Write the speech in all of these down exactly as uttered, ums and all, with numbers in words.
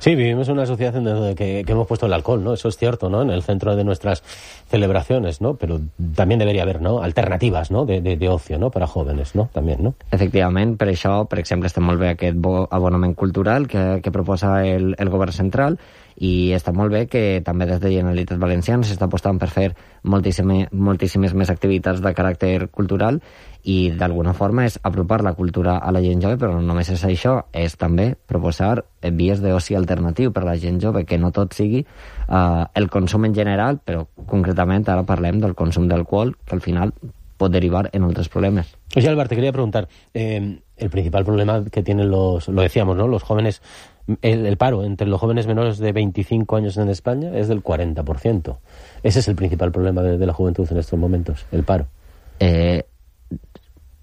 Sí, vivimos en una sociedad en donde que, que hemos puesto el alcohol, ¿no? Eso es cierto, ¿no? En el centro de nuestras celebraciones, ¿no? Pero también debería haver, ¿no? Alternativas, ¿no? De, de, de ocio, ¿no? Para jóvenes, ¿no? También, ¿no? Efectivament, per això, per exemple, està molt bé aquest bo abonament cultural que, que proposa el, el govern central, i està molt bé que també des de Generalitat Valenciana s'està apostant per fer moltíssime, moltíssimes més activitats de caràcter cultural, i d'alguna forma és apropar la cultura a la gent jove, però no només és això, és també proposar vies d'oci alternatiu per a la gent jove, que no tot sigui uh, el consum en general, però concretament ara parlem del consum d'alcohol, que al final pot derivar en otros problemas. Oye, Álvaro, te quería preguntar, eh, el principal problema que tienen los, lo decíamos, ¿no? Los jóvenes, el, el paro entre los jóvenes menores de veinticinco años en España es del cuarenta por ciento. Ese es el principal problema de, de la juventud en estos momentos, el paro. Eh,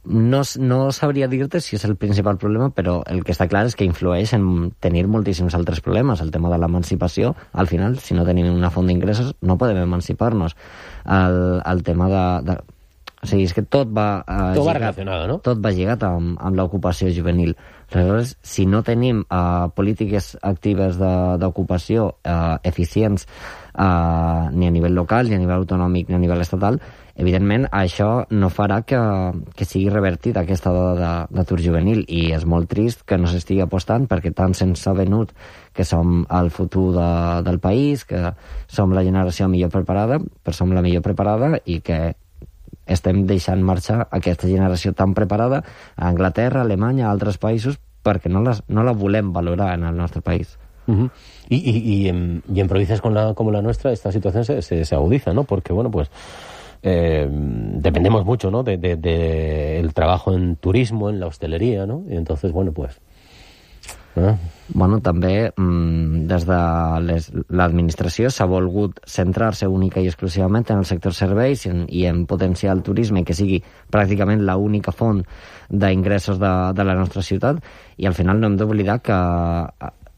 no, no sabria dir-te si és el principal problema, però el que està clar és que influeix en tenir moltíssims altres problemes. El tema de l'emancipació, al final, si no tenim una font d'ingressos, no podem emancipar-nos. El, el tema de... de O sigui, és que tot va... Eh, tot va relacionat, no? Tot va lligat amb, amb l'ocupació juvenil. Aleshores, si no tenim uh, polítiques actives d'ocupació uh, eficients uh, ni a nivell local, ni a nivell autonòmic, ni a nivell estatal, evidentment això no farà que, que sigui revertit aquesta dada d'atur juvenil, i és molt trist que no s'estigui apostant, perquè tant se'ns ha venut que som el futur de, del país, que som la generació millor preparada, però som la millor preparada, i que estem deixant marxar aquesta generació tan preparada a Anglaterra, a Alemanya, a altres països, perquè no, les, no la volem valorar en el nostre país. Uh-huh. y, y, y, en, y en provincias con la, como la nuestra esta situación se, se, se agudiza, ¿no? Porque, bueno, pues eh, dependemos mucho, ¿no? De, de, de el trabajo en turismo, en la hostelería, ¿no? Y entonces, bueno, pues... Eh? Bueno, també mmm, des de l'administració s'ha volgut centrar-se única i exclusivament en el sector serveis i en, i en potenciar el turisme, que sigui pràcticament l'única font d'ingressos de, de la nostra ciutat, i al final no hem d'oblidar que,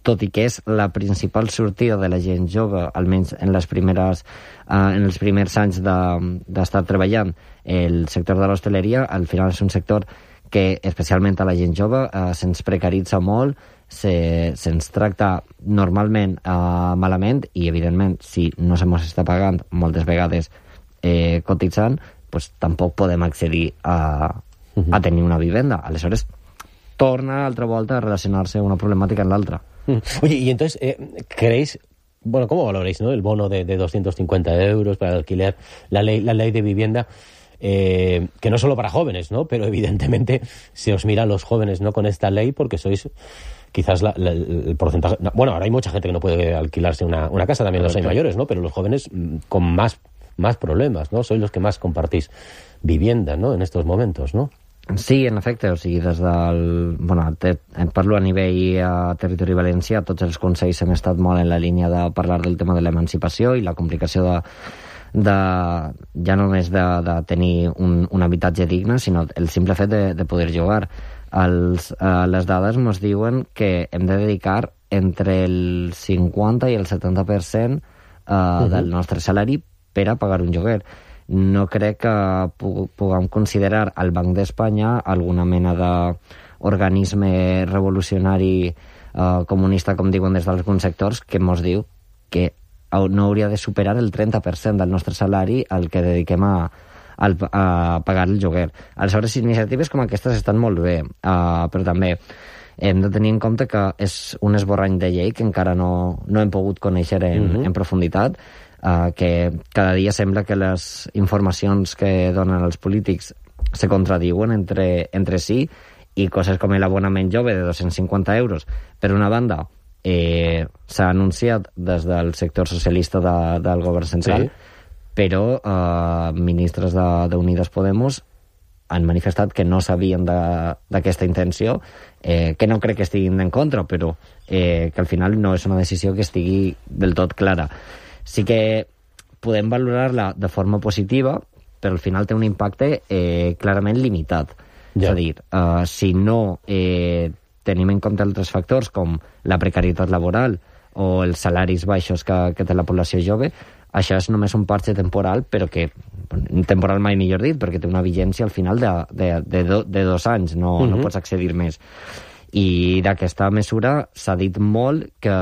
tot i que és la principal sortida de la gent jove, almenys en les primeres eh, en els primers anys d'estar de, treballant, el sector de l'hostaleria al final és un sector que especialment a la gent jove eh, se'ns precaritza molt, se, se'ns tracta normalment eh, malament, i evidentment si no se mos està pagant moltes vegades eh, cotitzant, pues tampoc podem accedir a, a tenir una vivenda. Aleshores torna altra volta a relacionar-se una problemàtica en l'altra. Oye, y entonces, eh, ¿creéis, bueno, cómo valoráis, ¿no? El bono de, de doscientos cincuenta euros para el alquiler, la ley, la ley de vivienda? Eh, que no solo para jóvenes, ¿no? Pero evidentemente se os mira a los jóvenes, ¿no? Con esta ley, porque sois quizás la, la, el porcentaje... Bueno, ahora hay mucha gente que no puede alquilarse una, una casa, también los hay mayores, ¿no? Pero los jóvenes con más, más problemas, ¿no? Sois los que más compartís vivienda, ¿no? En estos momentos, ¿no? Sí, en efecte, o sigui, des del... Bueno, te, parlo a nivell a territori valencià, tots els consells hem estat molt en la línia de parlar del tema de l'emancipació i la complicació de de, ja no només de, de tenir un, un habitatge digne, sinó el simple fet de, de poder jugar. Els, eh, les dades ens diuen que hem de dedicar entre el cinquanta i el setanta per cent eh, uh-huh. del nostre salari per a pagar un lloguer. No crec que pu- puguem considerar al Banc d'Espanya alguna mena d'organisme revolucionari eh, comunista, com diuen des d'alguns sectors, que ens diu que no hauria de superar el trenta per cent del nostre salari al que dediquem a, a, a pagar el lloguer. Aleshores, iniciatives com aquestes estan molt bé, uh, però també hem de tenir en compte que és un esborrany de llei que encara no, no hem pogut conèixer en, uh-huh. en profunditat, uh, que cada dia sembla que les informacions que donen els polítics se contradiuen entre, entre si, i coses com l'abonament jove de dos-cents cinquanta euros, per una banda, Eh, s'ha anunciat des del sector socialista de, del govern central, sí. però eh, ministres d'Unides Podemos han manifestat que no sabien d'aquesta intenció, eh, que no crec que estiguin en contra, però eh, que al final no és una decisió que estigui del tot clara. Sí que podem valorar-la de forma positiva, però al final té un impacte eh, clarament limitat. Ja. És a dir, eh, si no... Eh, tenim en compte altres factors com la precarietat laboral o els salaris baixos que, que té la població jove, això és només un parche temporal, però que, temporal mai millor dit, perquè té una vigència al final de, de, de, do, de dos anys, no, uh-huh. no pots accedir més. I d'aquesta mesura s'ha dit molt que